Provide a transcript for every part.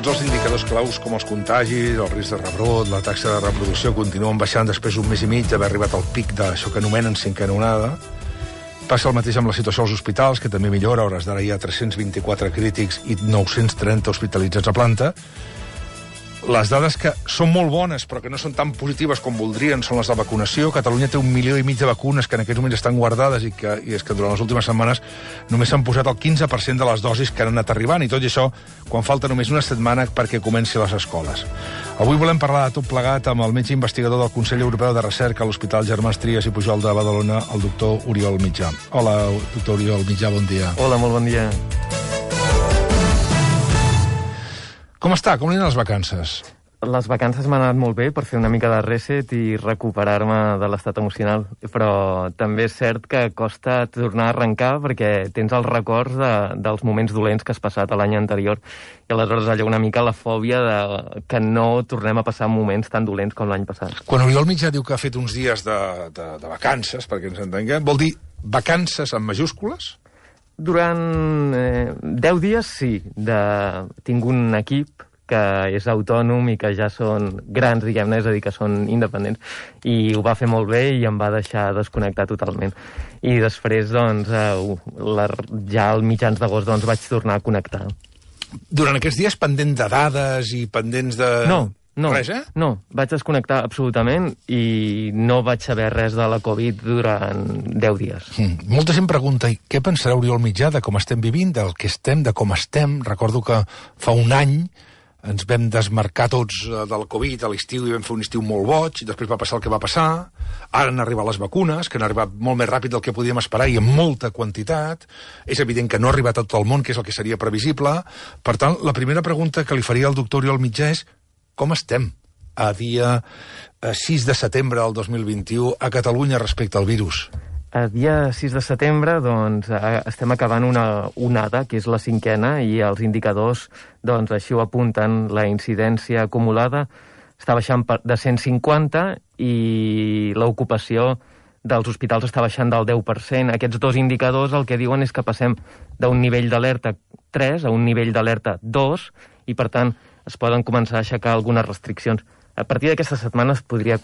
Tots els indicadors claus, com els contagis, el risc de rebrot, la taxa de reproducció, continuen baixant després d'un mes i mig d'haver arribat al pic d'això que anomenen cinquena onada. Passa el mateix amb la situació als hospitals, que també millora. A hores d'ara hi ha 324 crítics i 930 hospitalitzats a planta. Les dades que són molt bones, però que no són tan positives com voldrien, són les de vacunació. Catalunya té 1,5 milió de vacunes que en aquests moments estan guardades i és que durant les últimes setmanes només s'han posat el 15% de les dosis que han anat arribant, i tot i això quan falta només una setmana perquè comenci les escoles. Avui volem parlar de tot plegat amb el metge investigador del Consell Europeu de Recerca a l'Hospital Germans Trias i Pujol de Badalona, el doctor Oriol Mitjà. Hola, doctor Oriol Mitjà, bon dia. Hola, molt bon dia. Com està? Com aniran les vacances? Les vacances m'han anat molt bé per fer una mica de reset i recuperar-me de l'estat emocional, però també és cert que costa tornar a arrencar perquè tens els records dels moments dolents que has passat l'any anterior, i aleshores allò una mica la fòbia de que no tornem a passar moments tan dolents com l'any passat. Quan Oriol Mitjà diu que ha fet uns dies de vacances, perquè ens entenguem, vol dir vacances en majúscules? Durant 10 dies sí. Tinc un equip que és autònom i que ja són grans, diguem-ne, és a dir, que són independents, i ho va fer molt bé i em va deixar desconnectar totalment. I després, doncs, ja al mitjans d'agost, doncs, vaig tornar a connectar. Durant aquests dies pendent de dades i pendents de... No, res, no, vaig desconnectar absolutament i no vaig saber res de la Covid durant 10 dies. Molta gent pregunta, què pensarà Oriol Mitjà de com estem vivint, del que estem, de com estem? Recordo que fa un any ens vam desmarcar tots del Covid a l'estiu i vam fer un estiu molt boig, i després va passar el que va passar. Ara han arribat les vacunes, que han arribat molt més ràpid del que podíem esperar i en molta quantitat. És evident que no ha arribat a tot el món, que és el que seria previsible. Per tant, la primera pregunta que li faria al doctor Oriol Mitjà és: com estem a dia 6 de setembre del 2021 a Catalunya respecte al virus? A dia 6 de setembre, doncs, estem acabant una onada, que és la cinquena, i els indicadors, doncs, així ho apunten. La incidència acumulada està baixant de 150 i l'ocupació dels hospitals està baixant del 10%. Aquests dos indicadors el que diuen és que passem d'un nivell d'alerta 3 a un nivell d'alerta 2, i per tant es poden començar a aixecar algunes restriccions. A partir d'aquesta setmana es podria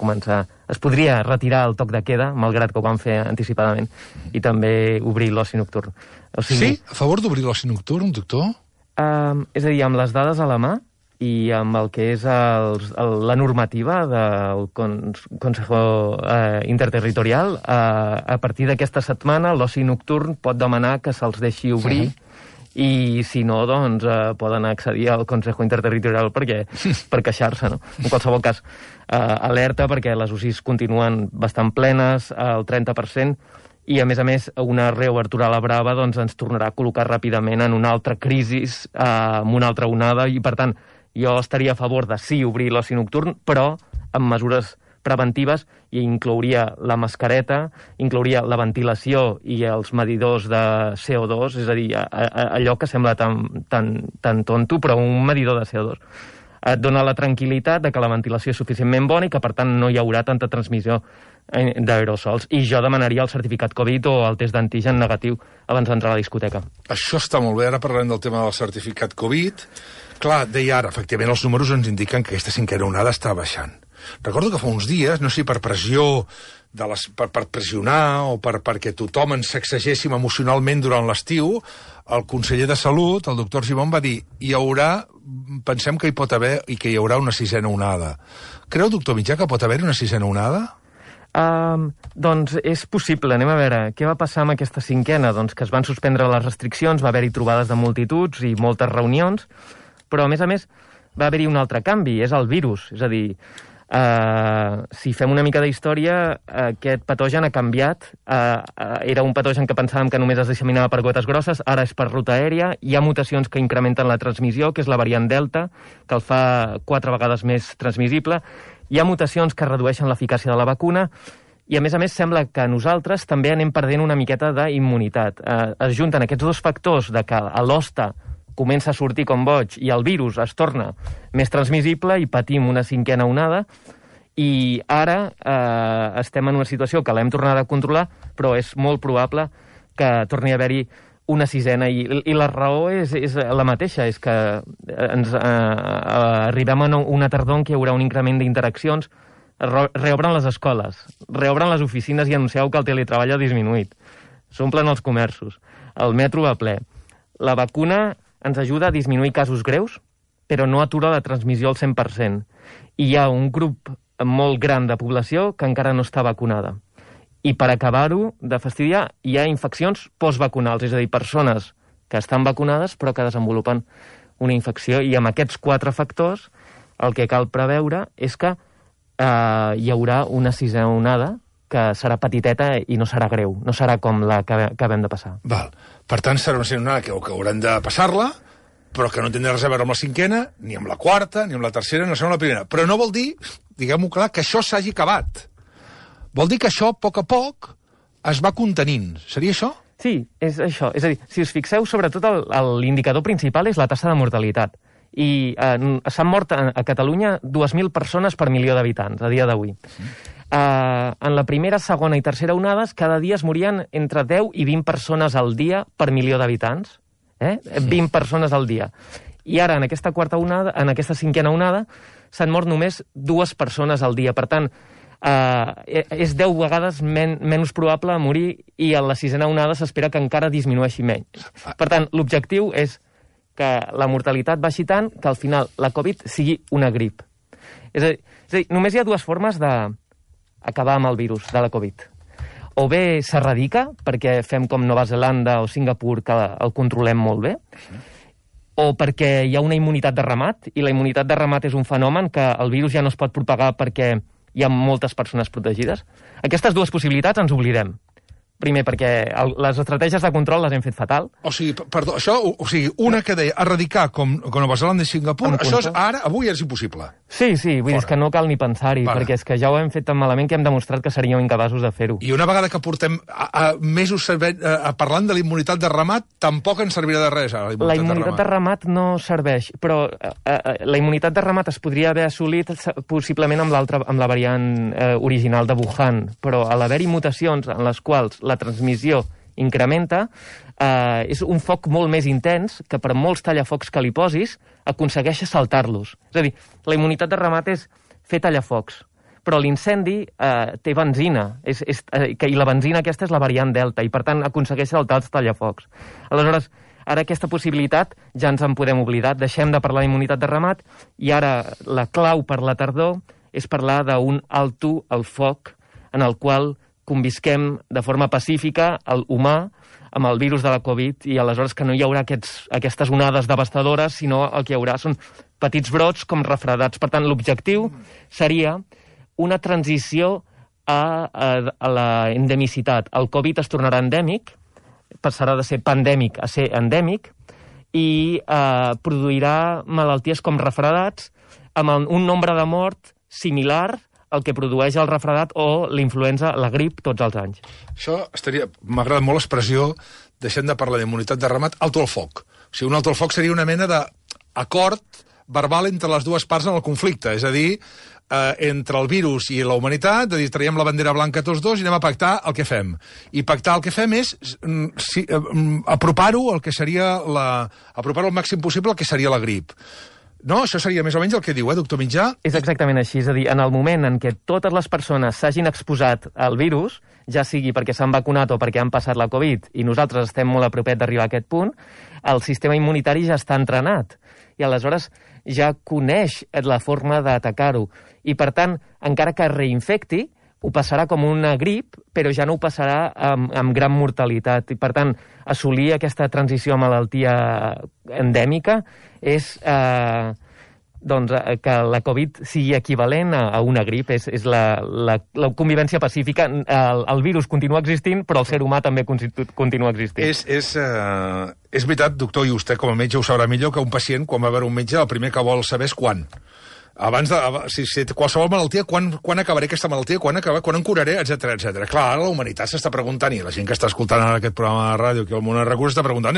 retirar el toc de queda, malgrat que ho van fer anticipadament, i també obrir l'oci nocturn. Sí? A favor d'obrir l'oci nocturn, doctor? És a dir, amb les dades a la mà i amb el que és la normativa del Consejo Interterritorial, a partir d'aquesta setmana l'oci nocturn pot demanar que se'ls deixi obrir, i si no, doncs poden accedir al Consejo Interterritorial per queixar-se, no? En qualsevol cas, alerta perquè les UCIs continuen bastant plenes, al 30%, i a més una reobertura a la brava doncs, ens tornarà a col·locar ràpidament en una altra crisi, amb una altra onada, i per tant jo estaria a favor de sí obrir l'oci nocturn, però amb mesures preventives, i inclouria la mascareta, inclouria la ventilació i els medidors de CO2, és a dir, allò que sembla tan tonto, però un medidor de CO2. Et dona la tranquil·litat de que la ventilació és suficientment bona i que, per tant, no hi haurà tanta transmissió d'aerosols. I jo demanaria el certificat Covid o el test d'antigen negatiu abans d'entrar a la discoteca. Això està molt bé. Ara parlarem del tema del certificat Covid. Clar, deia ara, efectivament, els números ens indiquen que aquesta cinquena onada està baixant. Recordo que fa uns dies, no sé si per pressió, per pressionar o perquè tothom ens sacsegéssim emocionalment durant l'estiu, el conseller de Salut, el doctor Argimon, va dir pensem que hi pot haver i que hi haurà una sisena onada. Creu, doctor Mitjà, que pot haver una sisena onada? Doncs és possible. Anem a veure què va passar amb aquesta cinquena. Doncs que es van suspendre les restriccions, va haver-hi trobades de multituds i moltes reunions, però a més va haver-hi un altre canvi, és el virus. És a dir, si fem una mica d'història, aquest patogen ha canviat. Era un patogen que pensàvem que només es disseminava per gotes grosses, ara és per ruta aèria. Hi ha mutacions que incrementen la transmissió, que és la variant Delta, que el fa 4 vegades més transmissible. Hi ha mutacions que redueixen l'eficàcia de la vacuna, i a més sembla que nosaltres també anem perdent una miqueta d'immunitat. Es junten aquests dos factors de que l'hoste comença a sortir com boig i el virus es torna més transmissible i patim una cinquena onada, i ara estem en una situació que l'hem tornat a controlar, però és molt probable que torni a haver-hi una sisena, i la raó és la mateixa, és que arribem a una tardor en què hi haurà un increment d'interaccions, reobren les escoles, reobren les oficines i anuncieu que el teletreball ha disminuït, s'omplen els comerços, el metro va ple. La vacuna ens ajuda a disminuir casos greus, però no atura la transmissió al 100%. I hi ha un grup molt gran de població que encara no està vacunada. I per acabar-ho de fastidiar, hi ha infeccions postvacunals, és a dir, persones que estan vacunades però que desenvolupen una infecció. I amb aquests 4 factors el que cal preveure és que hi haurà una sisena onada que serà petiteta i no serà greu, no serà com la que acabem de passar. Val. Per tant, serà una sisena onada que haurem de passar-la, però que no tindrà res a veure amb la 5ª, ni amb la 4ª, ni amb la 3ª, ni amb la 1ª. Però no vol dir, diguem-ho clar, que això s'hagi acabat. Vol dir que això, a poc es va contenint. Seria això? Sí, és això. És a dir, si us fixeu, sobretot l'indicador principal és la taxa de mortalitat. I s'han mort a Catalunya 2.000 persones per milió d'habitants, a dia d'avui. En la primera, segona i tercera onades, cada dia es morien entre 10 i 20 persones al dia per milió d'habitants. 20 persones al dia. I ara, en aquesta quarta onada, en aquesta 5ª onada, s'han mort només 2 persones al dia. Per tant, és 10 vegades menys probable morir, i en la 6ena onada s'espera que encara disminueixi menys. Per tant, l'objectiu és que la mortalitat baixi tant que al final la Covid sigui una grip. És a dir, només hi ha 2 formes d'acabar amb el virus de la Covid. O bé s'erradica, perquè fem com Nova Zelanda o Singapur, que el controlem molt bé, o perquè hi ha una immunitat de ramat, i la immunitat de ramat és un fenomen que el virus ja no es pot propagar perquè hi ha moltes persones protegides. Aquestes 2 possibilitats ens oblidem. Primer, perquè les estratègies de control les hem fet fatal. O sigui, perdó, això, una que deia erradicar com Nova Zelanda i Singapur, això avui és impossible. Sí, vull dir que no cal ni pensar-hi, perquè és que ja ho hem fet tan malament que hem demostrat que seríem incapaços de fer-ho. I una vegada que portem mesos parlant de la immunitat de ramat, tampoc ens servirà de res, ara, la immunitat de ramat no serveix, però la immunitat de ramat es podria haver assolit possiblement amb la variant original de Wuhan, però a l'haver-hi mutacions en les quals la transmissió incrementa, és un foc molt més intens que per molts tallafocs que li posis aconsegueix saltar-los. És a dir, la immunitat de ramat és fer tallafocs, però l'incendi té benzina, i la benzina aquesta és la variant Delta, i per tant aconsegueix saltar els tallafocs. Aleshores, ara aquesta possibilitat ja ens en podem oblidar, deixem de parlar d'immunitat de ramat, i ara la clau per la tardor és parlar d'un alto al foc en el qual convisquem de forma pacífica el humà amb el virus de la Covid, i aleshores que no hi haurà aquestes onades devastadores, sinó el que hi haurà són petits brots com refredats. Per tant, l'objectiu seria una transició a la endemicitat. El Covid es tornarà endèmic, passarà de ser pandèmic a ser endèmic, i produirà malalties com refredats amb un nombre de mort similar el que produeix el refredat o l'influenza, la grip, tots els anys. Això m'agrada molt l'expressió, deixem de parlar d'immunitat de ramat, alto al foc. O sigui, un alto al foc seria una mena d'acord verbal entre les 2 parts en el conflicte, és a dir, entre el virus i la humanitat, de dir, traiem la bandera blanca tots 2 i anem a pactar el que fem. I pactar el que fem és apropar-ho al que seria apropar-ho al màxim possible al que seria la grip. No, això seria més o menys el que diu, doctor Mitjà? És exactament així, és a dir, en el moment en què totes les persones s'hagin exposat al virus, ja sigui perquè s'han vacunat o perquè han passat la Covid, i nosaltres estem molt a propet d'arribar a aquest punt, el sistema immunitari ja està entrenat, i aleshores ja coneix la forma d'atacar-ho. I, per tant, encara que reinfecti, ho passarà com una grip, però ja no ho passarà amb gran mortalitat. I, per tant, assolir aquesta transició a malaltia endèmica és que la Covid sigui equivalent a una grip. És la convivència pacífica. El virus continua existint, però el ser humà també continua existint. És veritat, doctor, i vostè com a metge ho sabrà millor, que un pacient, quan va a veure un metge, el primer que vol saber és quan. Si qualsevol malaltia, quan acabaré aquesta malaltia, quan em curaré, etc. Clar, ara la humanitat s'està preguntant, i la gent que està escoltant ara aquest programa de ràdio aquí al Món de Recursos està preguntant,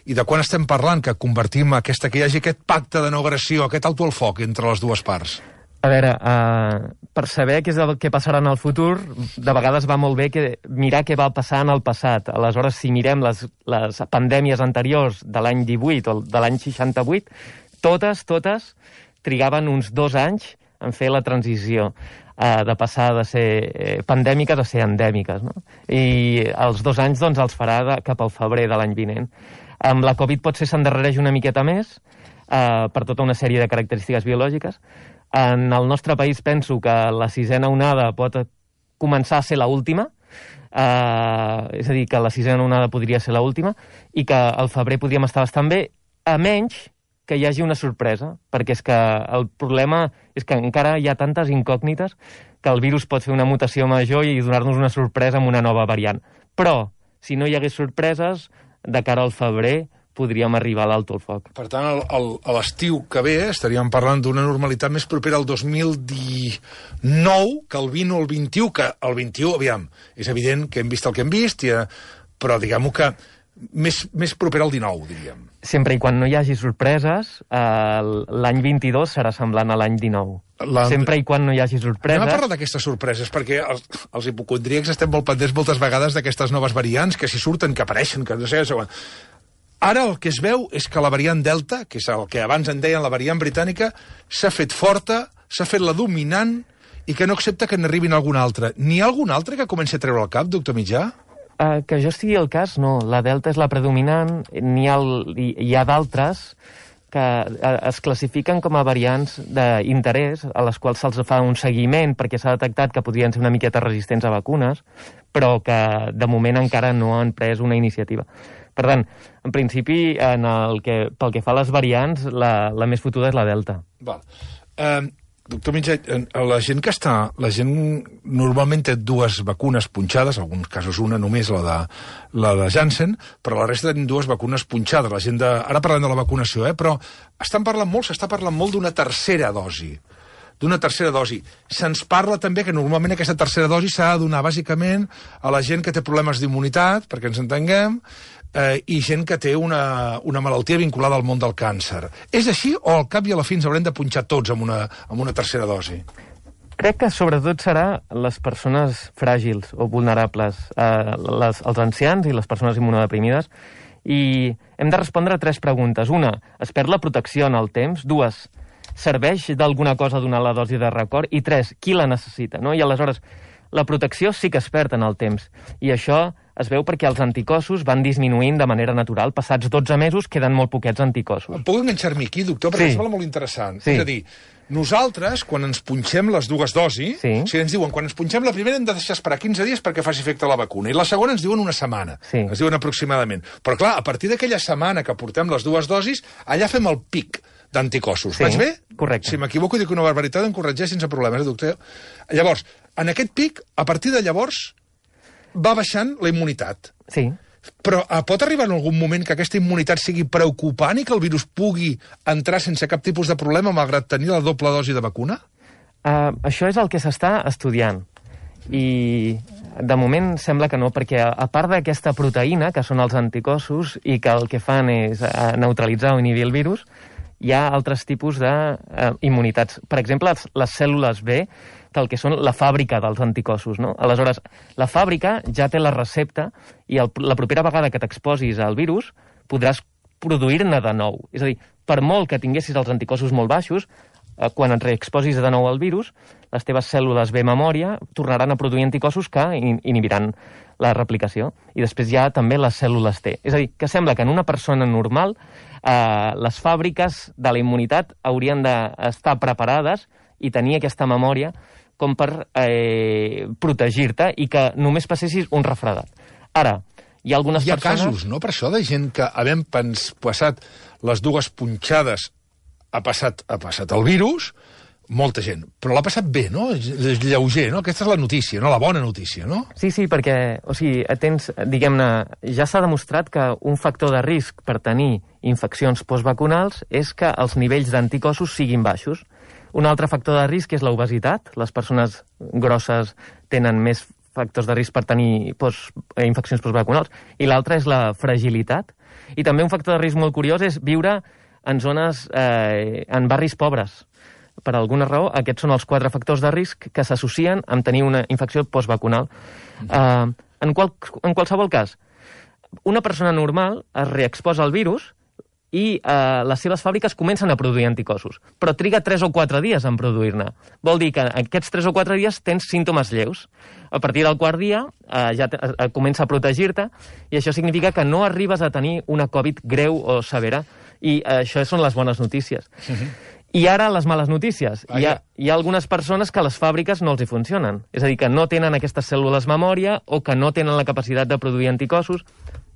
i de quan estem parlant que convertim que hi hagi aquest pacte de no agressió, aquest alto al foc entre les 2 parts? A veure, per saber què és el que passarà en el futur, de vegades va molt bé mirar què va passar en el passat. Aleshores, si mirem les pandèmies anteriors de l'any 18 o de l'any 68, totes trigaven uns 2 anys en fer la transició de passar de ser pandèmiques a ser endèmiques, no? I els 2 anys doncs, els farà cap al febrer de l'any vinent. Amb la Covid potser s'endarrereix una miqueta més, per tota una sèrie de característiques biològiques. En el nostre país penso que la 6a onada pot començar a ser l'última, és a dir, que la 6a onada podria ser l'última, i que al febrer podríem estar bastant bé, a menys que hi hagi una sorpresa, perquè és que el problema és que encara hi ha tantes incògnites que el virus pot fer una mutació major i donar-nos una sorpresa amb una nova variant. Però, si no hi hagués sorpreses, de cara al febrer podríem arribar a l'alto el foc. Per tant, a l'estiu que ve estaríem parlant d'una normalitat més propera al 2019 que el 20 o el 21, que el 21, aviam, és evident que hem vist el que hem vist, però diguem-ho que més propera al 19, diríem. Sempre i quan no hi hagi sorpreses, l'any 22 serà semblant a l'any 19. Sempre i quan no hi hagi sorpreses... Anem a parlar d'aquestes sorpreses, perquè els hipocondríacs estem molt pendents moltes vegades d'aquestes noves variants, que si surten, que apareixen, que no sé... Ara el que es veu és que la variant Delta, que és el que abans en deien la variant britànica, s'ha fet forta, s'ha fet la dominant, i que no accepta que n'arribin alguna altra. N'hi ha alguna altra que comenci a treure el cap, doctor Mitjà? Que jo estigui al cas, no. La Delta és la predominant, hi ha d'altres que es classifiquen com a variants d'interès, a les quals se'ls fa un seguiment perquè s'ha detectat que podrien ser una miqueta resistents a vacunes, però que de moment encara no han pres una iniciativa. Per tant, en principi, pel que fa a les variants, la més fotuda és la Delta. Val. Doctor Mitjà, la gent normalment té 2 vacunes punxades, en alguns casos una només, la de Janssen, però la resta tenen 2 vacunes punxades. Ara parlem de la vacunació, però s'està parlant molt d'una tercera dosi. Se'ns parla també que normalment aquesta tercera dosi s'ha de donar bàsicament a la gent que té problemes d'immunitat, perquè ens entenguem, i gent que té una malaltia vinculada al món del càncer. És així o al cap i a la fi ens haurem de punxar tots amb una tercera dosi? Crec que sobretot serà les persones fràgils o vulnerables, els ancians i les persones immunodeprimides, i hem de respondre a 3 preguntes. Una, es perd la protecció en el temps? 2, serveix d'alguna cosa donar la dosi de record? I 3, qui la necessita? No? I aleshores, la protecció sí que es perd en el temps, i això es veu perquè els anticossos van disminuint de manera natural. Passats 12 mesos queden molt poquets anticossos. Em puc enganxar-me aquí, doctor? Perquè em sembla molt interessant. Sí. És a dir, nosaltres, quan ens punxem les 2 dosis, o sigui, ens diuen, quan ens punxem la primera hem de deixar esperar 15 dies perquè faci efecte la vacuna, i la segona ens diuen una setmana. Sí. Ens diuen aproximadament. Però clar, a partir d'aquella setmana que portem les 2 dosis, allà fem el pic d'anticossos. Sí, vaig bé? Correcte. Si m'equivoco i dic una barbaritat, em corregeix sense problemes, doctor. Llavors, en aquest pic, a partir de llavors, va baixant la immunitat. Sí. Però pot arribar en algun moment que aquesta immunitat sigui preocupant i que el virus pugui entrar sense cap tipus de problema malgrat tenir la doble dosi de vacuna? Això és el que s'està estudiant. I de moment sembla que no, perquè a part d'aquesta proteïna, que són els anticossos, i que el que fan és neutralitzar o inhibir el virus, hi ha altres tipus d'immunitats. Per exemple, les cèl·lules B, que el que són la fàbrica dels anticossos, no? Aleshores, la fàbrica ja té la recepta i la propera vegada que t'exposis al virus podràs produir-ne de nou. És a dir, per molt que tinguessis els anticossos molt baixos, quan et reexposis de nou al virus, les teves cèl·lules B memòria tornaran a produir anticossos que inhibiran la replicació. I després hi ha també les cèl·lules T. És a dir, que sembla que en una persona normal les fàbriques de la immunitat haurien d'estar preparades i tenir aquesta memòria com per protegir-te i que només passessis un refredat. Ara, hi ha algunes persones... Hi ha casos, no?, per això, de gent que, havent passat les 2 punxades, ha passat el virus, molta gent, però l'ha passat bé, no? És lleuger, no? Aquesta és la notícia, no? La bona notícia, no? Sí, perquè, o sigui, diguem-ne, ja s'ha demostrat que un factor de risc per tenir infeccions postvacunals és que els nivells d'anticossos siguin baixos. Un altre factor de risc és l'obesitat. Les persones grosses tenen més factors de risc per tenir infeccions postvacunals. I l'altre és la fragilitat. I també un factor de risc molt curiós és viure en zones, en barris pobres. per alguna raó, aquests són els 4 factors de risc que s'associen amb tenir una infecció postvacunal. En qualsevol cas, una persona normal es reexposa al virus i les seves fàbriques comencen a produir anticossos, però triga 3 o 4 dies en produir-ne. Vol dir que aquests 3 o 4 dies tens símptomes lleus. A partir del quart dia ja comença a protegir-te i això significa que no arribes a tenir una Covid greu o severa. I això són les bones notícies. I ara les males notícies. Hi ha algunes persones que les fàbriques no els hi funcionen. És a dir, que no tenen aquestes cèl·lules memòria o que no tenen la capacitat de produir anticossos.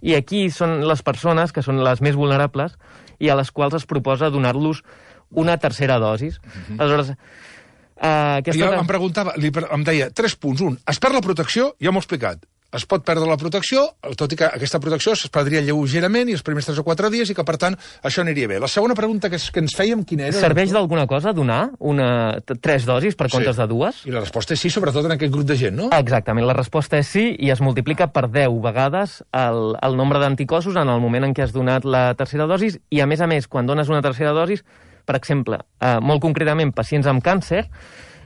I aquí són les persones que són les més vulnerables i a les quals es proposa donar-los una tercera dosis. Aleshores, jo em preguntava, em deia 3 punts. 1, es perd la protecció, ja m'ho he explicat. Es pot perdre la protecció, tot i que aquesta protecció es perdria lleugerament i els primers 3 o 4 dies i que, per tant, això aniria bé. La segona pregunta que ens fèiem, quina era? Serveix d'alguna cosa donar 3 dosis per comptes de 2? I la resposta és sí, sobretot en aquest grup de gent, no? Exactament, la resposta és sí i es multiplica per 10 vegades el nombre d'anticossos en el moment en què has donat la tercera dosis i, a més, quan dones una tercera dosis, per exemple, molt concretament, pacients amb càncer,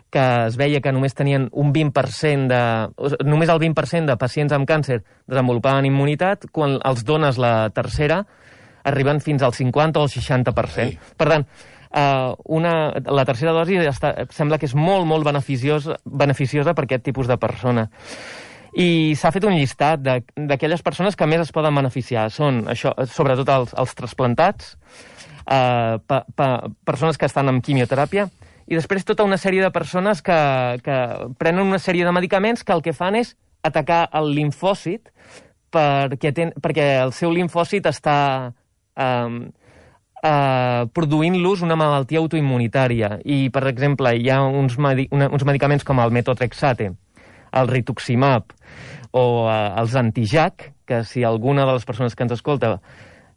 que es veia que només tenien només el 20% de pacients amb càncer desenvolupaven immunitat, quan els dones la tercera arriben fins al 50 o el 60%. Per tant, la tercera dosi sembla que és molt, molt beneficiosa per aquest tipus de persona. I s'ha fet un llistat d'aquelles persones que més es poden beneficiar. Són, això, sobretot els trasplantats, persones que estan amb quimioteràpia, i després tota una sèrie de persones que prenen una sèrie de medicaments que el que fan és atacar el limfòcit perquè el seu limfòcit està produint-los una malaltia autoimmunitària. I, per exemple, hi ha uns medicaments com el metotrexate, el rituximab o els antijac, que si alguna de les persones que ens escolta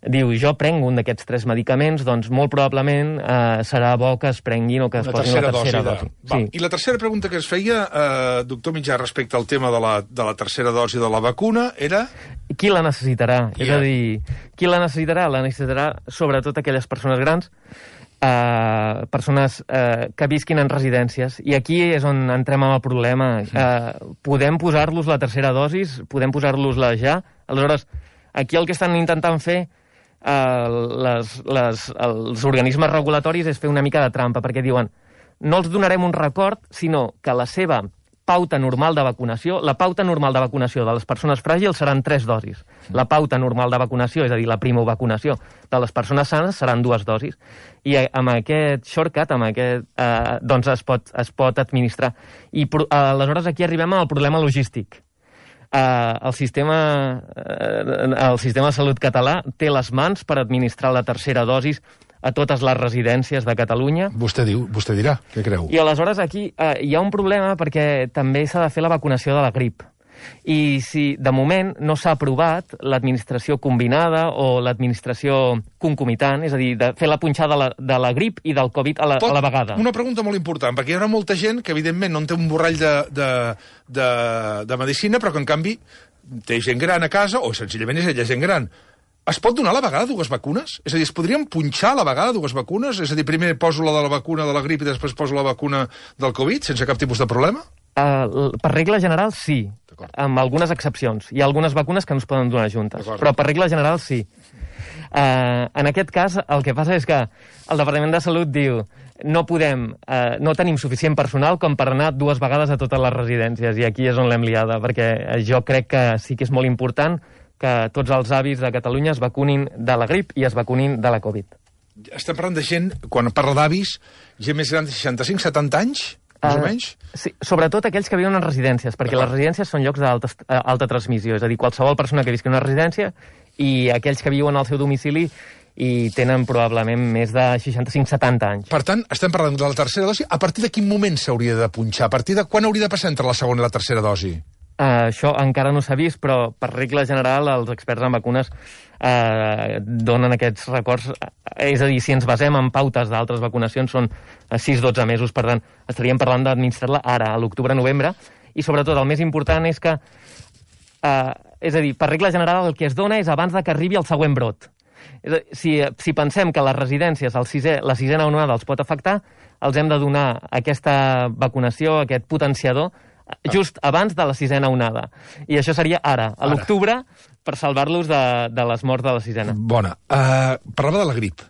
diu, jo prenc un d'aquests 3 medicaments, doncs molt probablement serà bo que es prenguin o que es posin la tercera dosi. Sí. I la tercera pregunta que es feia, doctor Mitjà, respecte al tema de la tercera dosi de la vacuna, era... Qui la necessitarà? És a dir, qui la necessitarà? La necessitarà sobretot aquelles persones grans, persones que visquin en residències. I aquí és on entrem amb el problema. Podem posar-los la tercera dosis, podem posar-los-la ja. Aleshores, aquí el que estan intentant fer els organismes regulatoris és fer una mica de trampa, perquè diuen no els donarem un record, sinó que la seva pauta normal de vacunació, la pauta normal de vacunació de les persones fràgils seran 3 dosis. La pauta normal de vacunació, és a dir, la primovacunació de les persones sanes seran 2 dosis. I amb aquest shortcut, doncs es pot administrar. I aleshores aquí arribem al problema logístic. El sistema de salut català té les mans per administrar la tercera dosis a totes les residències de Catalunya. Vostè dirà, què creu? I aleshores aquí hi ha un problema perquè també s'ha de fer la vacunació de la grip. I si de moment no s'ha aprovat l'administració combinada o l'administració concomitant, és a dir, de fer la punxada de la grip i del Covid a la vegada. Una pregunta molt important, perquè hi haurà molta gent que evidentment no en té un borrall de medicina, però que en canvi té gent gran a casa, o senzillament és ella gent gran. Es pot donar a la vegada 2 vacunes? És a dir, es podrien punxar a la vegada 2 vacunes? És a dir, primer poso la de la vacuna de la grip i després poso la vacuna del Covid, sense cap tipus de problema? Per regla general, sí, amb algunes excepcions. Hi ha algunes vacunes que no es poden donar juntes, però per regla general, sí. En aquest cas, el que passa és que el Departament de Salut diu no tenim suficient personal com per anar 2 vegades a totes les residències, i aquí és on l'hem liada, perquè jo crec que sí que és molt important que tots els avis de Catalunya es vacunin de la grip i es vacunin de la Covid. Estem parlant de gent, quan parla d'avis, gent més gran de 65-70 anys? Més o menys? Sí, sobretot aquells que viuen en residències, perquè les residències són llocs d'alta transmissió, és a dir, qualsevol persona que visqui en una residència i aquells que viuen al seu domicili i tenen probablement més de 65-70 anys. Per tant, estem parlant de la tercera dosi. A partir de quin moment s'hauria de punxar? A partir de quan hauria de passar entre la segona i la tercera dosi? Això encara no s'ha vist, però per regla general els experts en vacunes donen aquests records. És a dir, si ens basem en pautes d'altres vacunacions són 6-12 mesos, per tant, estaríem parlant d'administrar-la ara, a l'octubre-novembre, i sobretot el més important és que, és a dir, per regla general el que es dona és abans de que arribi el següent brot. Si pensem que les residències, la sisena onada els pot afectar, els hem de donar aquesta vacunació, aquest potenciador, just abans de la 6a onada. I això seria ara, a l'octubre, per salvar-los de les morts de la 6a. Bona. Parlava de la grip.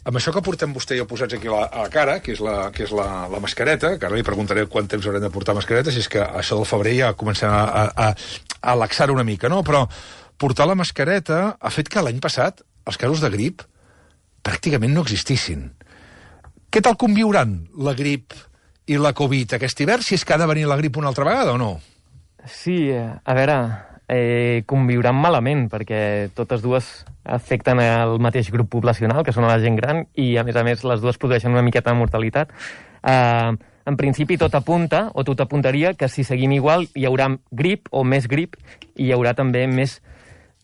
Amb això que portem vostè i jo posats aquí a la cara, que és la mascareta, que ara li preguntaré quant temps haurem de portar mascareta, si és que això del febrer ja comencem a laxar una mica, no? Però portar la mascareta ha fet que l'any passat els casos de grip pràcticament no existissin. Què tal conviuran la grip i la Covid aquest hivern, si és que ha de venir la grip una altra vegada o no? Sí, a veure, conviuran malament, perquè totes dues afecten el mateix grup poblacional, que són la gent gran, i a més les dues produeixen una miqueta de mortalitat. En principi tot apunta, o tot apuntaria, que si seguim igual hi haurà grip o més grip, i hi haurà també més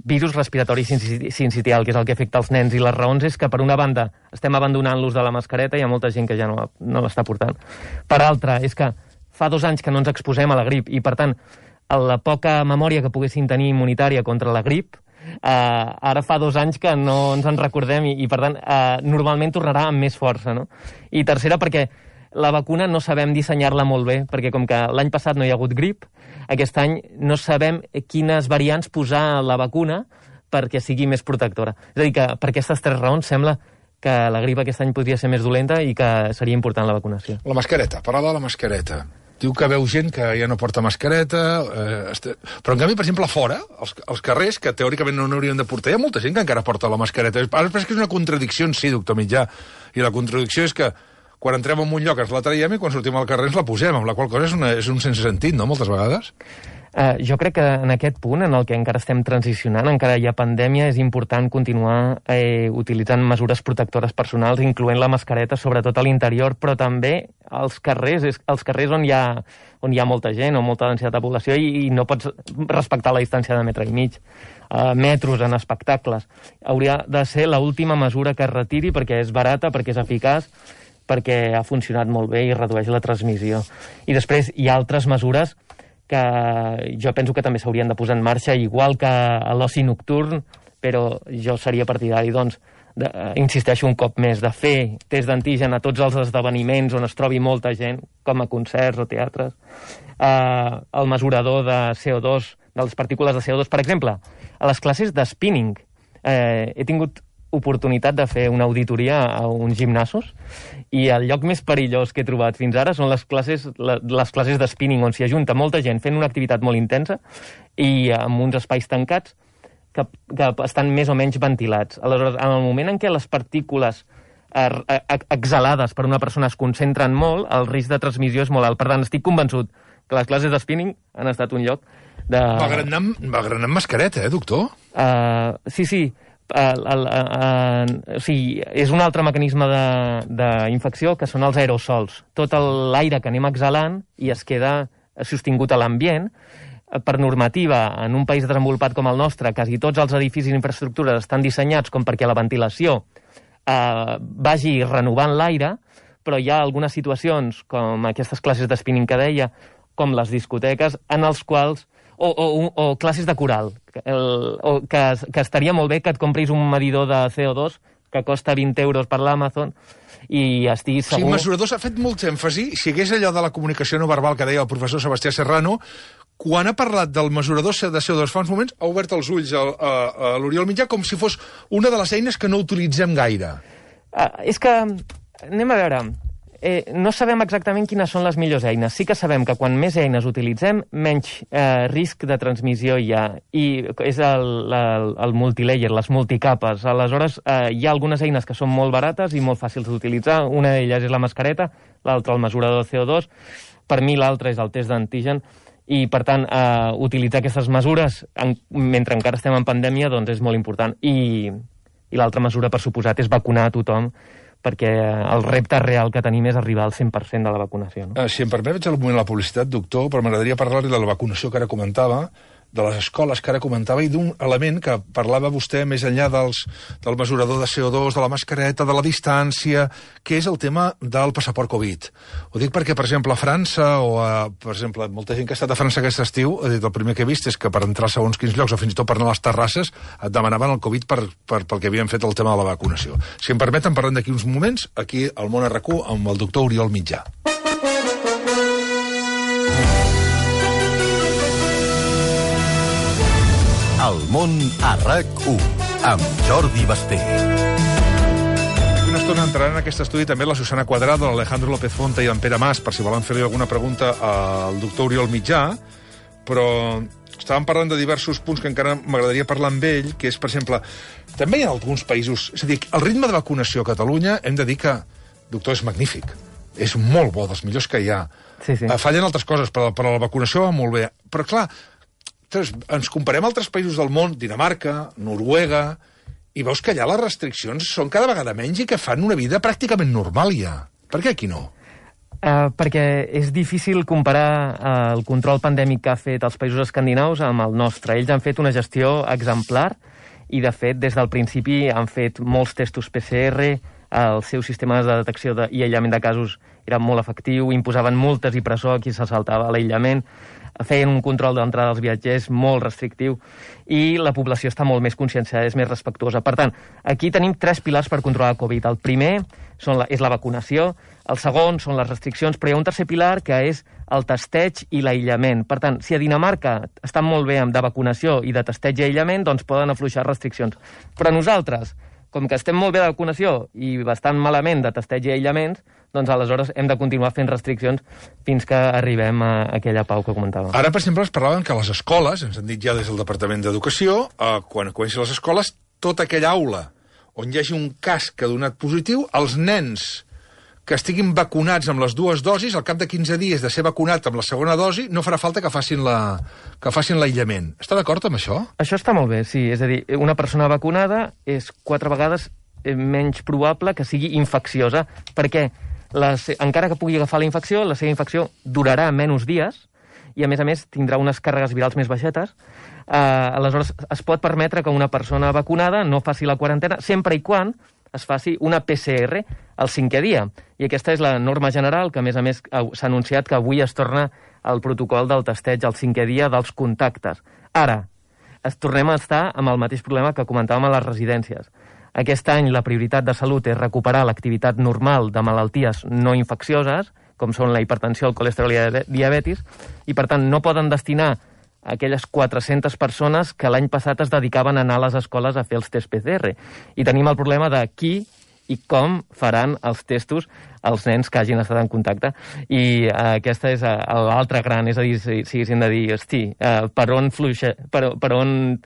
virus respiratori sincitial, que és el que afecta els nens, i les raons és que, per una banda, estem abandonant l'ús de la mascareta, hi ha molta gent que ja no l'està portant. Per altra, és que fa 2 anys que no ens exposem a la grip, i per tant, la poca memòria que poguessin tenir immunitària contra la grip, ara fa 2 anys que no ens en recordem, i per tant, normalment tornarà amb més força, no? I tercera, perquè la vacuna no sabem dissenyar-la molt bé, perquè com que l'any passat no hi ha hagut grip, aquest any no sabem quines variants posar a la vacuna perquè sigui més protectora. És a dir, que per aquestes 3 raons sembla que la grip aquest any podria ser més dolenta i que seria important la vacunació. La mascareta, parla de la mascareta. Diu que veu gent que ja no porta mascareta, però en canvi, per exemple, a fora, als carrers, que teòricament no n'haurien de portar, hi ha molta gent que encara porta la mascareta. Ara penso que és una contradicció en si, doctor Mitjà, i la contradicció és que quan entrem en un lloc ens la traiem i quan sortim al carrer ens la posem, amb la qual cosa és un sense sentit, no?, moltes vegades. Jo crec que en aquest punt, en el que encara estem transicionant, encara hi ha pandèmia, és important continuar utilitzant mesures protectores personals, incloent la mascareta, sobretot a l'interior, però també als carrers on hi ha molta gent o molta densitat de població i no pots respectar la distància de 1,5 metres. Metros en espectacles. Hauria de ser l'última mesura que es retiri perquè és barata, perquè és eficaç, perquè ha funcionat molt bé i redueix la transmissió. I després hi ha altres mesures que jo penso que també s'haurien de posar en marxa, igual que a l'oci nocturn, però jo seria partidari, doncs, insisteixo un cop més, de fer test d'antigen a tots els esdeveniments on es trobi molta gent, com a concerts o teatres, el mesurador de CO2, de les partícules de CO2, per exemple, a les classes de spinning. He tingut oportunitat de fer una auditoria a uns gimnasos i el lloc més perillós que he trobat fins ara són les classes de spinning, on s'hi ajunta molta gent fent una activitat molt intensa i amb uns espais tancats que estan més o menys ventilats. Aleshores, en el moment en què les partícules exhalades per una persona es concentren molt, el risc de transmissió és molt alt. Per tant, estic convençut que les classes de spinning han estat un lloc de... Va granant mascareta, doctor? Sí. O sigui, és un altre mecanisme d'infecció que són els aerosols. Tot l'aire que anem exhalant i es queda sostingut a l'ambient. Per normativa, en un país desenvolupat com el nostre, quasi tots els edificis i infraestructures estan dissenyats com perquè la ventilació vagi renovant l'aire, però hi ha algunes situacions, com aquestes classes de spinning que deia, com les discoteques, en els quals o classes de coral, que estaria molt bé que et compris un medidor de CO2 que costa 20 euros per l'Amazon i estiguis segur... Sí, mesurador s'ha fet molt èmfasi. Si hagués allò de la comunicació no verbal que deia el professor Sebastià Serrano, quan ha parlat del mesurador de CO2 fa uns moments, ha obert els ulls a l'Oriol Mitjà com si fos una de les eines que no utilitzem gaire. És que, anem a veure... no sabem exactament quines són les millors eines. Sí que sabem que quan més eines utilitzem, menys risc de transmissió hi ha. I és el multilayer, les multicapes. Aleshores, hi ha algunes eines que són molt barates i molt fàcils d'utilitzar. Una d'elles és la mascareta, l'altra el mesurador de CO2. Per mi l'altra és el test d'antigen. I, per tant, utilitzar aquestes mesures mentre encara estem en pandèmia doncs és molt important. I l'altra mesura, per suposat, és vacunar a tothom, perquè el repte real que tenim és arribar al 100% de la vacunació. No? Si em permet, vaig al moment de la publicitat, doctor, però m'agradaria parlar-li de la vacunació que ara comentava, de les escoles que ara comentava i d'un element que parlava vostè més enllà del mesurador de CO2, de la mascareta, de la distància, que és el tema del passaport Covid. Ho dic perquè, per exemple, a França per exemple, molta gent que ha estat a França aquest estiu, ha dit, el primer que he vist és que per entrar a segons quins llocs o fins i tot per anar a les terrasses et demanaven el Covid pel que havien fet el tema de la vacunació. Si em permeten, parlem d'aquí uns moments, aquí al Món RQ amb el doctor Oriol Mitjà. El Món a RAC1, amb Jordi Basté. Una estona entraran en aquest estudi també la Susana Cuadrado, l'Alejandro López Fonte i en Pere Mas, per si volen fer-li alguna pregunta al doctor Oriol Mitjà, però estàvem parlant de diversos punts que encara m'agradaria parlar amb ell, que és, per exemple, també hi ha alguns països... És a dir, el ritme de vacunació a Catalunya, hem de dir que, doctor, és magnífic. És molt bo, dels millors que hi ha. Sí. Fallen altres coses, però la vacunació va molt bé. Però, clar, ens comparem a altres països del món, Dinamarca, Noruega, i veus que allà les restriccions són cada vegada menys i que fan una vida pràcticament normal ja. Per què aquí no? Perquè és difícil comparar el control pandèmic que ha fet els països escandinaus amb el nostre. Ells han fet una gestió exemplar i, de fet, des del principi han fet molts testos PCR, els seus sistemes de detecció i aïllament de casos eren molt efectiu, imposaven multes i presó a qui se saltava l'aïllament, feien un control d'entrada dels viatgers molt restrictiu i la població està molt més conscienciada, és més respectuosa. Per tant, aquí tenim 3 pilars per controlar el Covid. El primer és la vacunació, el segon són les restriccions, però hi ha un tercer pilar que és el testeig i l'aïllament. Per tant, si a Dinamarca estan molt bé de vacunació i de testeig i aïllament, doncs poden afluixar restriccions. Però nosaltres, com que estem molt bé de vacunació i bastant malament de testeig i aïllaments, doncs aleshores hem de continuar fent restriccions fins que arribem a aquella pau que comentàvem. Ara, per exemple, es parlaven que les escoles, ens han dit ja des del Departament d'Educació, quan comencin les escoles, tota aquella aula on hi hagi un cas que ha donat positiu, els nens que estiguin vacunats amb les 2 dosis, al cap de 15 dies de ser vacunat amb la segona dosi, no farà falta que facin l'aïllament. Està d'acord amb això? Això està molt bé, sí. És a dir, una persona vacunada és 4 vegades menys probable que sigui infecciosa, perquè encara que pugui agafar la infecció, la seva infecció durarà menys dies i, a més, tindrà unes càrregues virals més baixetes. Aleshores, es pot permetre que una persona vacunada no faci la quarantena sempre i quan es faci una PCR al 5è dia. I aquesta és la norma general que, a més, s'ha anunciat que avui es torna al protocol del testeig al 5è dia dels contactes. Ara, tornem a estar amb el mateix problema que comentàvem a les residències. Aquest any la prioritat de salut és recuperar l'activitat normal de malalties no infeccioses, com són la hipertensió, el colesterol i la diabetis, i per tant no poden destinar aquelles 400 persones que l'any passat es dedicaven a anar a les escoles a fer els tests PCR. I tenim el problema de qui i com faran els testos als nens que hagin estat en contacte. I aquesta és l'altre gran, és a dir, si haguéssim de dir, hosti, per on fluixa, per on...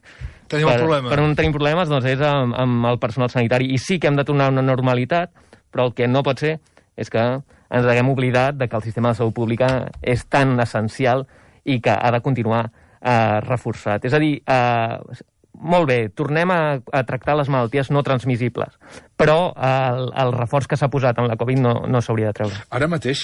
Tenim el problema. Per on tenim problemes, doncs és amb el personal sanitari. I sí que hem de tornar a una normalitat, però el que no pot ser és que ens haguem oblidat de que el sistema de salut pública és tan essencial i que ha de continuar reforçat. És a dir, molt bé, tornem a tractar les malalties no transmissibles, però el reforç que s'ha posat en la Covid no s'hauria de treure. Ara mateix,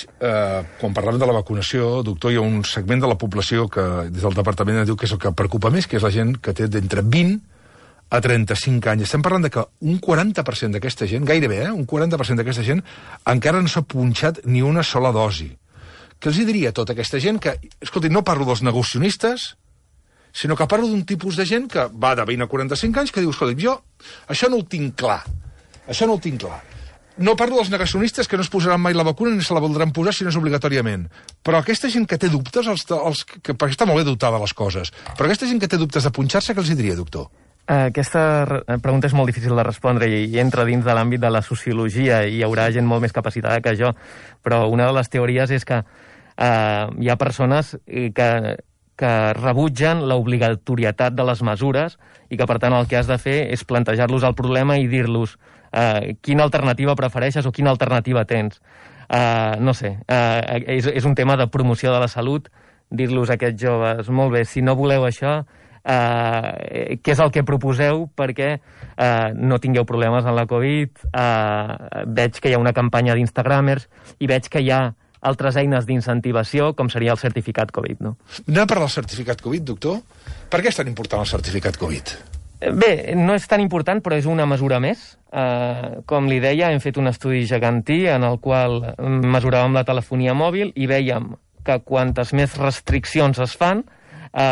quan parlem de la vacunació, doctor, hi ha un segment de la població que des del departament diu que és el que preocupa més, que és la gent que té d'entre 20 a 35 anys. Estem parlant de que un 40% d'aquesta gent, gairebé, un 40% d'aquesta gent encara no s'ha punxat ni una sola dosi. Què els diria a tota aquesta gent que, escolti, no parlo dels negacionistes, sinó que parlo d'un tipus de gent que va de 20 a 45 anys que diu, escolta, jo això no ho tinc clar. Això no ho tinc clar. No parlo dels negacionistes que no es posaran mai la vacuna ni se la voldran posar si no és obligatòriament. Però aquesta gent que té dubtes, perquè està molt bé dubtar de les coses, però aquesta gent que té dubtes de punxar-se, què els diria, doctor? Aquesta pregunta és molt difícil de respondre i entra dins de l'àmbit de la sociologia i hi haurà gent molt més capacitada que jo. Però una de les teories és que hi ha persones que rebutgen l'obligatorietat de les mesures i que, per tant, el que has de fer és plantejar-los el problema i dir-los quina alternativa prefereixes o quina alternativa tens. No sé, és un tema de promoció de la salut, dir-los a aquests joves, molt bé, si no voleu això, què és el que proposeu perquè no tingueu problemes en la Covid, veig que hi ha una campanya d'Instagramers i veig que hi ha altres eines d'incentivació, com seria el certificat Covid, no? Anem a parlar del certificat Covid, doctor? Per què és tan important el certificat Covid? Bé, no és tan important, però és una mesura més. Com li deia, hem fet un estudi gegantí en el qual mesuràvem la telefonia mòbil i vèiem que quantes més restriccions es fan,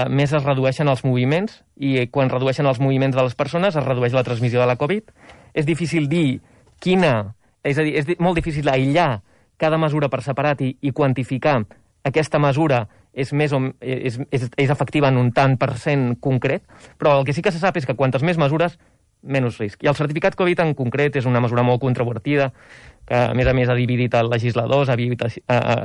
més es redueixen els moviments, i quan redueixen els moviments de les persones es redueix la transmissió de la Covid. És difícil dir quina... És a dir, és molt difícil aïllar cada mesura per separat i quantificar aquesta mesura és efectiva en un tant per cent concret, però el que sí que se sap és que quantes més mesures, menys risc. I el certificat Covid en concret és una mesura molt controvertida, que a més ha dividit els legisladors, a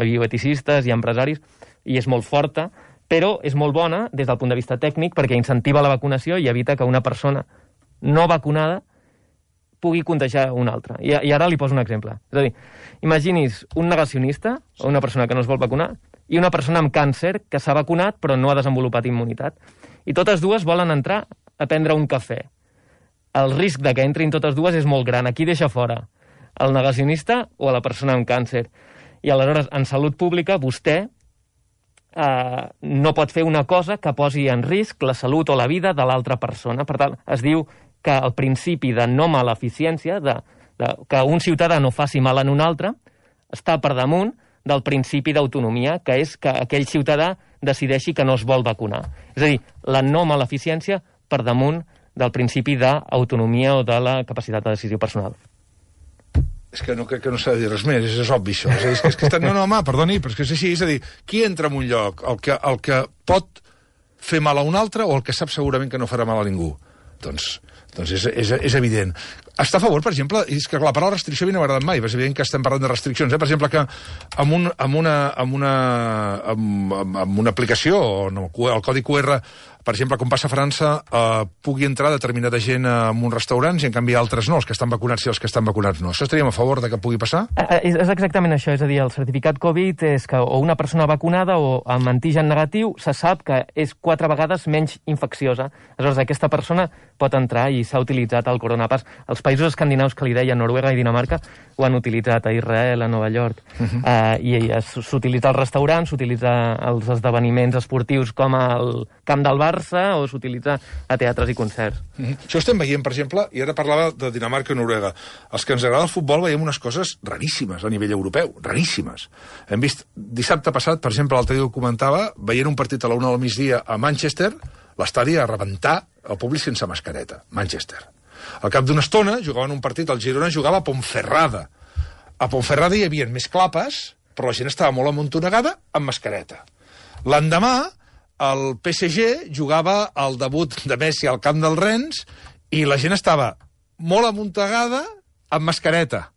bioeticistes i empresaris, i és molt forta, però és molt bona des del punt de vista tècnic perquè incentiva la vacunació i evita que una persona no vacunada pugui contagiar una altra. I ara li poso un exemple. És a dir, imagini's un negacionista, o una persona que no es vol vacunar, i una persona amb càncer que s'ha vacunat però no ha desenvolupat immunitat. I totes dues volen entrar a prendre un cafè. El risc de que entrin totes dues és molt gran. Aquí deixa fora el negacionista o a la persona amb càncer. I aleshores, en salut pública, vostè no pot fer una cosa que posi en risc la salut o la vida de l'altra persona. Per tant, es diu que el principi de no maleficència, que un ciutadà no faci mal en un altre, està per damunt del principi d'autonomia, que és que aquell ciutadà decideixi que no es vol vacunar. És a dir, la no maleficència per damunt del principi d'autonomia o de la capacitat de decisió personal. És que no crec que no s'ha de dir res més, és obvi això. És que no, home, perdoni, però és que és així. És a dir, qui entra en un lloc? El que pot fer mal a un altre o el que sap segurament que no farà mal a ningú? Doncs és evident. Està a favor, per exemple, és que la paraula restricció a mi no m'ha agradat mai, és evident que estem parlant de restriccions. Per exemple, que amb una aplicació, el codi QR, per exemple, com passa a França, pugui entrar determinada gent en uns restaurants i, en canvi, altres no, els que estan vacunats i els que estan vacunats no. Això estaríem a favor de que pugui passar? És exactament això, és a dir, el certificat Covid és que o una persona vacunada o amb antigen negatiu se sap que és 4 vegades menys infecciosa. Aleshores, aquesta persona pot entrar i s'ha utilitzat el coronapass. Els països escandinaus que li deia, Noruega i Dinamarca, ho han utilitzat a Israel, a Nova York, i s'utilitza als restaurants, s'utilitza als esdeveniments esportius com el camp del Barça o s'utilitza a teatres i concerts. Això estem veient, per exemple, i ara parlava de Dinamarca i Noruega. Els que ens agrada el futbol veiem unes coses raríssimes a nivell europeu, raríssimes. Hem vist dissabte passat, per exemple, l'altre dia ho comentava, veient un partit a la 1 del migdia a Manchester, l'estadi a rebentar el públic sense mascareta. Manchester. Al cap d'una estona jugaven un partit, el Girona jugava a Ponferrada. A Ponferrada hi havia més clapes, però la gent estava molt amuntonegada amb mascareta. L'endemà, el PSG jugava el debut de Messi al camp del Rennes i la gent estava molt amuntegada amb mascareta.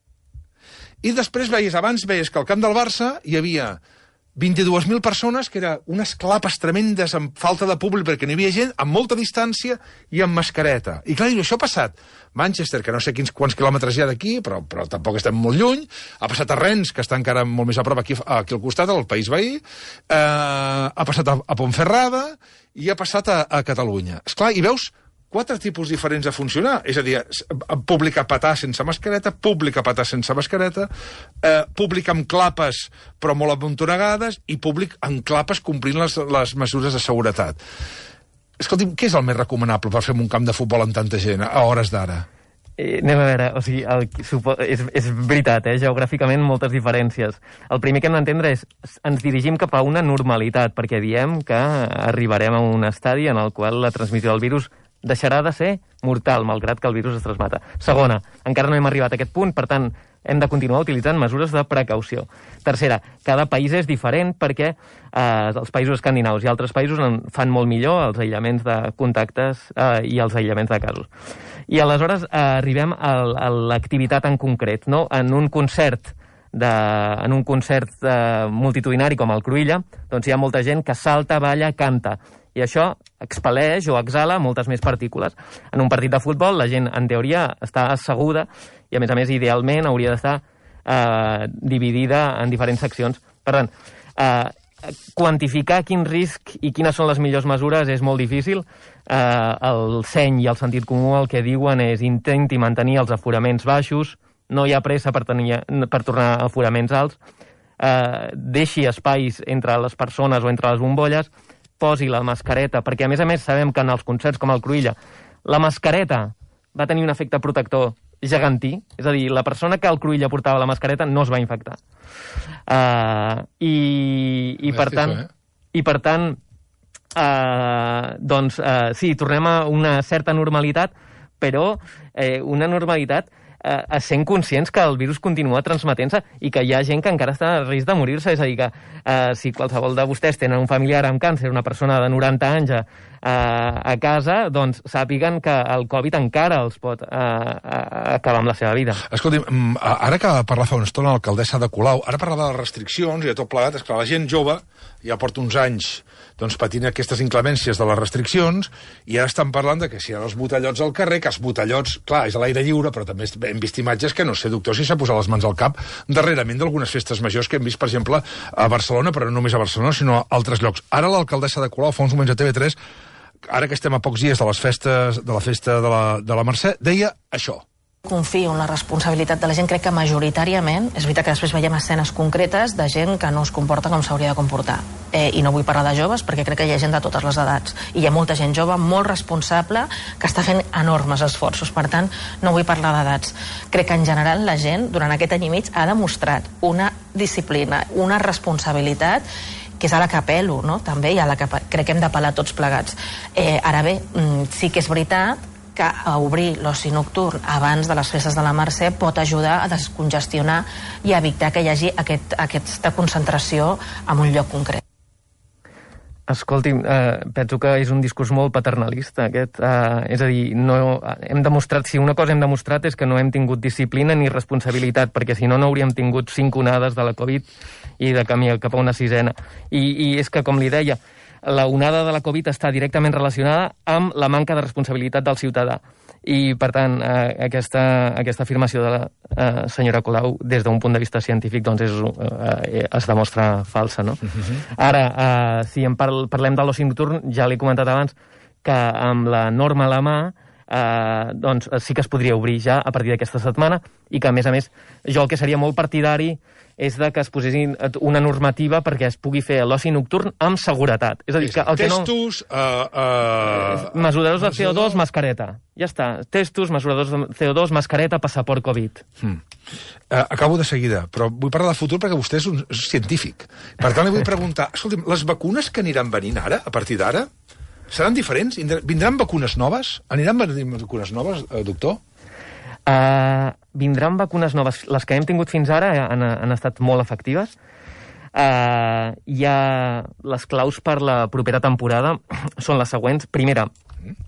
I després abans veies que al camp del Barça hi havia 22.000 persones, que eren unes clapes tremendes amb falta de públic perquè no hi havia gent, amb molta distància i amb mascareta. I clar, això ha passat. Manchester, que no sé quants quilòmetres hi ha d'aquí, però tampoc estem molt lluny, ha passat a Rennes, que està encara molt més a prop aquí al costat, al país veí, ha passat a Ponferrada i ha passat a Catalunya. Esclar, i veus 4 tipus diferents de funcionar. És a dir, públic a petar sense mascareta, públic a petar sense mascareta, públic amb clapes però molt amuntonegades i públic amb clapes complint les mesures de seguretat. Escolti'm, què és el més recomanable per fer un camp de futbol amb tanta gent a hores d'ara? Anem a veure, o sigui, és veritat, geogràficament moltes diferències. El primer que hem d'entendre és ens dirigim cap a una normalitat, perquè diem que arribarem a un estadi en el qual la transmissió del virus deixarà de ser mortal, malgrat que el virus es transmeta. Segona, encara no hem arribat a aquest punt, per tant, hem de continuar utilitzant mesures de precaució. Tercera, cada país és diferent perquè els països escandinaus i altres països fan molt millor els aïllaments de contactes i els aïllaments de casos. I aleshores arribem a l'activitat en concret, no? En un concert multitudinari com el Cruïlla, doncs hi ha molta gent que salta, balla, canta, i això expel·leix o exhala moltes més partícules. En un partit de futbol la gent, en teoria, està asseguda i, a més, idealment hauria d'estar dividida en diferents seccions. Per tant, quantificar quin risc i quines són les millors mesures és molt difícil. El seny i el sentit comú el que diuen és intenti mantenir els aforaments baixos, no hi ha pressa per tornar a aforaments alts, deixi espais entre les persones o entre les bombolles, posi la mascareta, perquè a més sabem que en els concerts com el Cruïlla la mascareta va tenir un efecte protector gegantí, és a dir, la persona que al Cruïlla portava la mascareta no es va infectar. I per tant, sí, tornem a una certa normalitat, però una normalitat sent conscients que el virus continua transmetent-se i que hi ha gent que encara està a risc de morir-se. És a dir, que si qualsevol de vostès tenen un familiar amb càncer, una persona de 90 anys a casa, doncs sàpiguen que el Covid encara els pot acabar amb la seva vida. Escolti'm, ara que parla fa una estona l'alcaldessa de Colau, ara parlava de les restriccions i de tot plegat, és que la gent jove ja porta uns anys patint aquestes inclemències de les restriccions i ara estan parlant de que si hi ha els botellots al carrer, que els botellots, clar, és a l'aire lliure, però també hem vist imatges que no sé, doctor, si s'ha posat les mans al cap darrerament d'algunes festes majors que hem vist, per exemple, a Barcelona, però no només a Barcelona, sinó a altres llocs. Ara l'alcaldessa de Colau, fa uns moments a TV3, ara que estem a pocs dies de les festes, de la festa de la Mercè, deia això. Confio en la responsabilitat de la gent, crec que majoritàriament, és veritat que després veiem escenes concretes de gent que no es comporta com s'hauria de comportar. I no vull parlar de joves perquè crec que hi ha gent de totes les edats. I hi ha molta gent jove, molt responsable, que està fent enormes esforços. Per tant, no vull parlar d'edats. Crec que en general la gent, durant aquest any i mig, ha demostrat una disciplina, una responsabilitat que és a la que apel·lo, no? També, i a la que crec que hem d'apel·lar tots plegats. Ara bé, sí que és veritat que a obrir l'oci nocturn abans de les festes de la Mercè pot ajudar a descongestionar i a evitar que hi hagi aquesta concentració en un lloc concret. Escolti'm, penso que és un discurs molt paternalista, aquest. És a dir, hem demostrat, si una cosa hem demostrat és que no hem tingut disciplina ni responsabilitat, perquè si no, no hauríem tingut 5 onades de la Covid i de camí cap a una 6ena. I és que, com li deia, la onada de la Covid està directament relacionada amb la manca de responsabilitat del ciutadà. I, per tant, aquesta afirmació de la senyora Colau, des d'un punt de vista científic, doncs es demostra falsa, no? Ara, si parlem de l'oci nocturn, ja l'he comentat abans, que amb la norma a la mà, doncs sí que es podria obrir ja a partir d'aquesta setmana i que, a més, jo el que seria molt partidari és de que es posessin una normativa perquè es pugui fer l'oci nocturn amb seguretat. És a dir, que el que testos, mesuradors de CO2, mascareta. Ja està. Testos, mesuradors de CO2, mascareta, passaport Covid. Acabo de seguida, però vull parlar de futur perquè vostè és un científic. Per tant, li vull preguntar, escolti'm, les vacunes que aniran venint ara, a partir d'ara, seran diferents? Vindran vacunes noves? Aniran venint vacunes noves, doctor? Vindran vacunes noves. Les que hem tingut fins ara han estat molt efectives. Hi ha les claus per la propera temporada són les següents. Primera,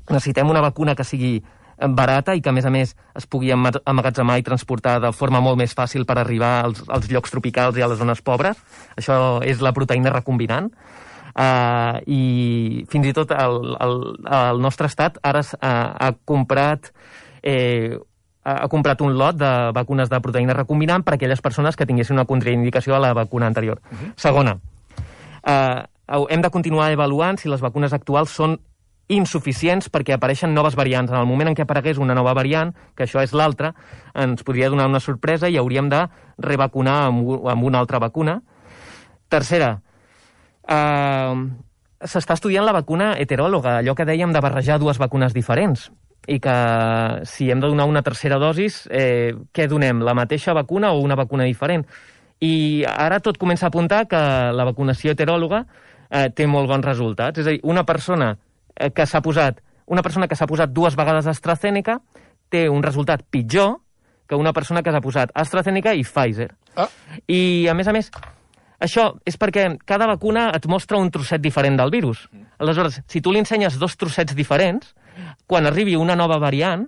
necessitem una vacuna que sigui barata i que, a més, es pugui emmagatzemar i transportar de forma molt més fàcil per arribar als llocs tropicals i a les zones pobres. Això és la proteïna recombinant. I fins i tot el nostre estat ara ha comprat un lot de vacunes de proteïna recombinant per a aquelles persones que tinguessin una contraindicació a la vacuna anterior. Segona, hem de continuar avaluant si les vacunes actuals són insuficients perquè apareixen noves variants. En el moment en què aparegués una nova variant, que això és l'altra, ens podria donar una sorpresa i hauríem de revacunar amb una altra vacuna. Tercera, s'està estudiant la vacuna heteròloga, allò que dèiem de barrejar dues vacunes diferents, i que si hem de donar una tercera dosis, què donem? La mateixa vacuna o una vacuna diferent? I ara tot comença a apuntar que la vacunació heteròloga té molt bons resultats. És a dir, una persona que s'ha posat 2 vegades AstraZeneca té un resultat pitjor que una persona que s'ha posat AstraZeneca i Pfizer. I, a més, això és perquè cada vacuna et mostra un trosset diferent del virus. Aleshores, si tu li ensenyes 2 trossets diferents, quan arribi una nova variant,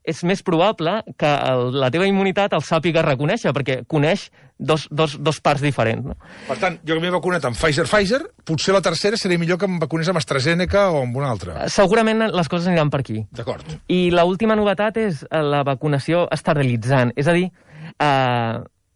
és més probable que la teva immunitat el sàpiga reconèixer, perquè coneix dos parts diferents. No? Per tant, jo que m'he vacunat amb Pfizer, potser la tercera seria millor que em vacunés amb AstraZeneca o amb una altra. Segurament les coses aniran per aquí. D'acord. I l'última novetat és la vacunació esterilitzant. És a dir,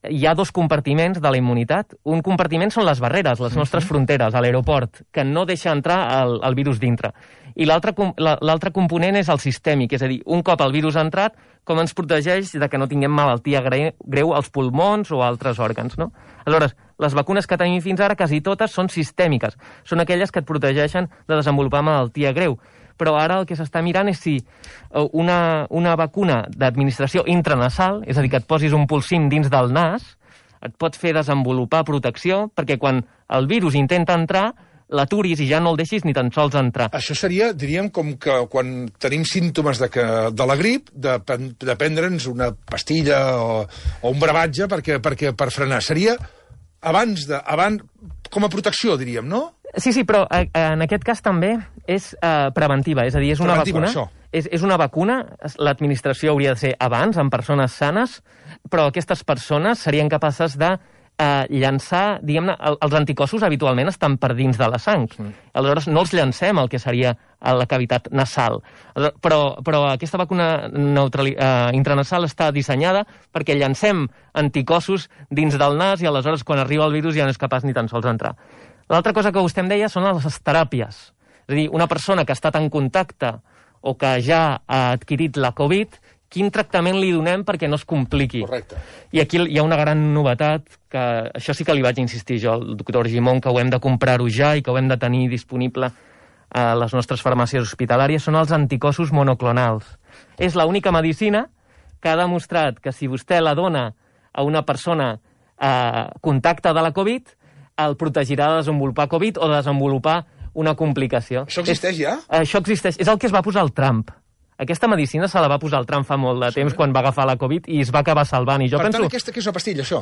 hi ha 2 compartiments de la immunitat. Un compartiment són les barreres, les nostres fronteres, a l'aeroport, que no deixa entrar el virus dintre. I l'altre component és el sistèmic, és a dir, un cop el virus ha entrat, com ens protegeix de que no tinguem malaltia greu als pulmons o altres òrgans, no? Aleshores, les vacunes que tenim fins ara, quasi totes, són sistèmiques. Són aquelles que et protegeixen de desenvolupar malaltia greu. Però ara el que s'està mirant és si una vacuna d'administració intranasal, és a dir, que et posis un polsim dins del nas, et pot fer desenvolupar protecció, perquè quan el virus intenta entrar, l'aturis i ja no el deixis ni tan sols entrar. Això seria, diríem, com que quan tenim símptomes de la grip, de prendre'ns una pastilla o un brevatge per frenar. Seria abans com a protecció, diríem, no? Sí, però en aquest cas també és preventiva, és a dir, és una vacuna. És una vacuna, l'administració hauria de ser abans, en persones sanes, però aquestes persones serien capaces de llançar, diguem-ne, els anticossos habitualment estan per dins de la sang. Aleshores, no els llancem el que seria a la cavitat nasal. Però aquesta vacuna intranasal està dissenyada perquè llancem anticossos dins del nas i aleshores quan arriba el virus ja no és capaç ni tan sols d'entrar. L'altra cosa que vostè em deia són les teràpies. És a dir, una persona que ha estat en contacte o que ja ha adquirit la Covid, quin tractament li donem perquè no es compliqui. Correcte. I aquí hi ha una gran novetat, que això sí que li vaig insistir jo al doctor Gimón, que ho hem de comprar-ho ja i que ho hem de tenir disponible a les nostres farmàcies hospitalàries, són els anticossos monoclonals. És l'única medicina que ha demostrat que si vostè la dona a una persona contacte de la Covid, el protegirà de desenvolupar Covid o de desenvolupar una complicació. Això existeix ja? Això existeix. És el que es va posar el Trump. Aquesta medicina se la va posar el Trump fa molt de temps quan va agafar la Covid i es va acabar salvant. I jo per tant, aquesta que és una pastilla, això?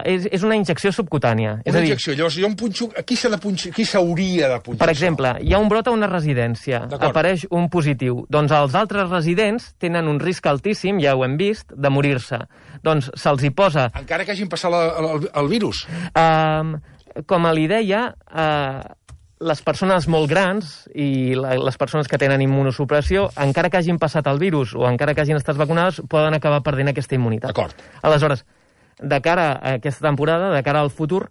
És una injecció subcutània. Una injecció. Llavors, jo em punxo... Qui s'hauria de punxar? Per exemple, hi ha un brot a una residència. Apareix un positiu. Doncs els altres residents tenen un risc altíssim, ja ho hem vist, de morir-se. Doncs se'ls hi posa... Encara que hagin passat el virus? Com li deia, les persones molt grans i les persones que tenen immunosupressió, encara que hagin passat el virus o encara que hagin estat vacunades, poden acabar perdent aquesta immunitat. D'acord. Aleshores, de cara a aquesta temporada, de cara al futur,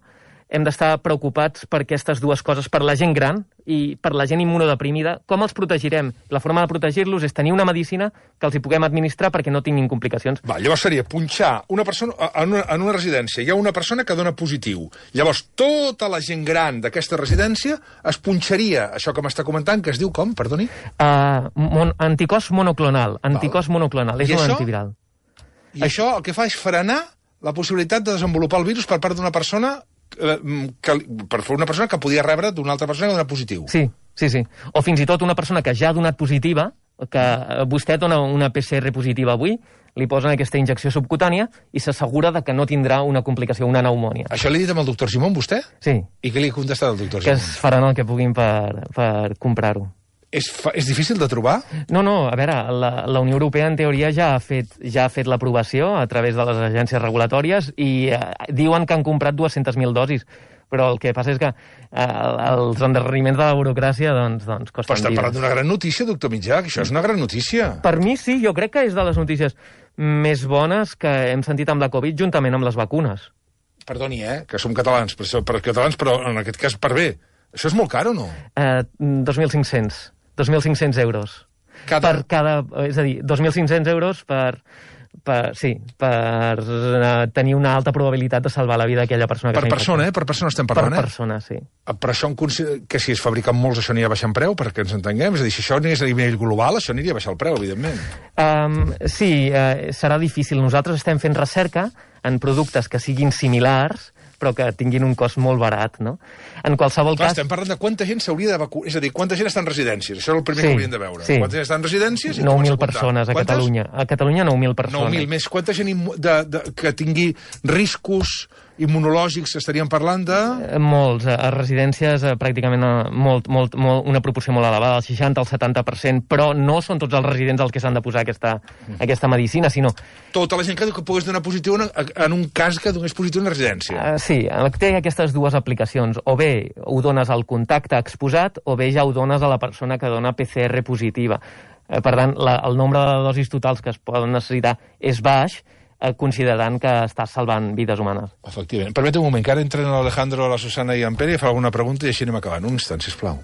hem d'estar preocupats per aquestes dues coses, per la gent gran i per la gent immunodeprimida. Com els protegirem? La forma de protegir-los és tenir una medicina que els hi puguem administrar perquè no tinguin complicacions. Llavors seria punxar una persona en una residència. Hi ha una persona que dona positiu. Llavors, tota la gent gran d'aquesta residència es punxaria, això que m'està comentant, que es diu com, perdoni? Anticòs monoclonal. Anticòs monoclonal. És un antiviral. I això el que fa és frenar la possibilitat de desenvolupar el virus per part d'una persona que podia rebre d'una altra persona que dona positiu. Sí. O fins i tot una persona que ja ha donat positiva, que vostè dona una PCR positiva avui, li posen aquesta injecció subcutània i s'assegura de que no tindrà una complicació, una pneumònia. Això l'he dit amb el doctor Gimón, vostè? Sí. I què li ha contestat el doctor Gimón? Que es faran el que puguin per comprar-ho. És difícil de trobar? No, a veure, la Unió Europea en teoria ja ha fet l'aprovació a través de les agències regulatòries i diuen que han comprat 200.000 dosis, però el que passa és que els endarreriments de la burocràcia doncs costen vides. Però estem parlant d'una gran notícia, doctor Mitjà, que això és una gran notícia. Per mi sí, jo crec que és de les notícies més bones que hem sentit amb la Covid juntament amb les vacunes. Perdoni, que som catalans, però en aquest cas per bé. Això és molt car o no? 2.500 euros. És a dir, 2.500 euros per tenir una alta probabilitat de salvar la vida d'aquella persona que s'ha infectat. Per persona estem parlant, Per persona, sí. Per això que si es fabriquen molts això aniria a baixar en preu, perquè ens entenguem? És a dir, si això anés a nivell global, això aniria a baixar el preu, evidentment. Sí, serà difícil. Nosaltres estem fent recerca en productes que siguin similars, però que tinguin un cost molt barat, no? En qualsevol cas... Estem parlant de quanta gent s'hauria de vacunar, és a dir, quanta gent està en residències, això és el primer que hauríem de veure. Sí. Quanta gent està en residències? 9.000 persones a Catalunya. A Catalunya 9.000 persones. 9.000 més. Quanta gent que tingui riscos immunològics estaríem parlant de... Molts. A residències pràcticament una proporció molt elevada, el 60 al 70%, però no són tots els residents els que s'han de posar aquesta medicina, sinó... Tota la gent que pogués donar positiu en un cas que donés positiu en una residència. Sí, té aquestes dues aplicacions. O bé ho dones al contacte exposat, o bé ja ho dones a la persona que dona PCR positiva. Per tant, el nombre de dosis totals que es poden necessitar és baix, considerant que està salvant vides humanes. Efectivament. Permetem un moment, que ara entren l'Alejandro, la Susana i en Pere i fa alguna pregunta i així anem acabant. Un instant, sisplau.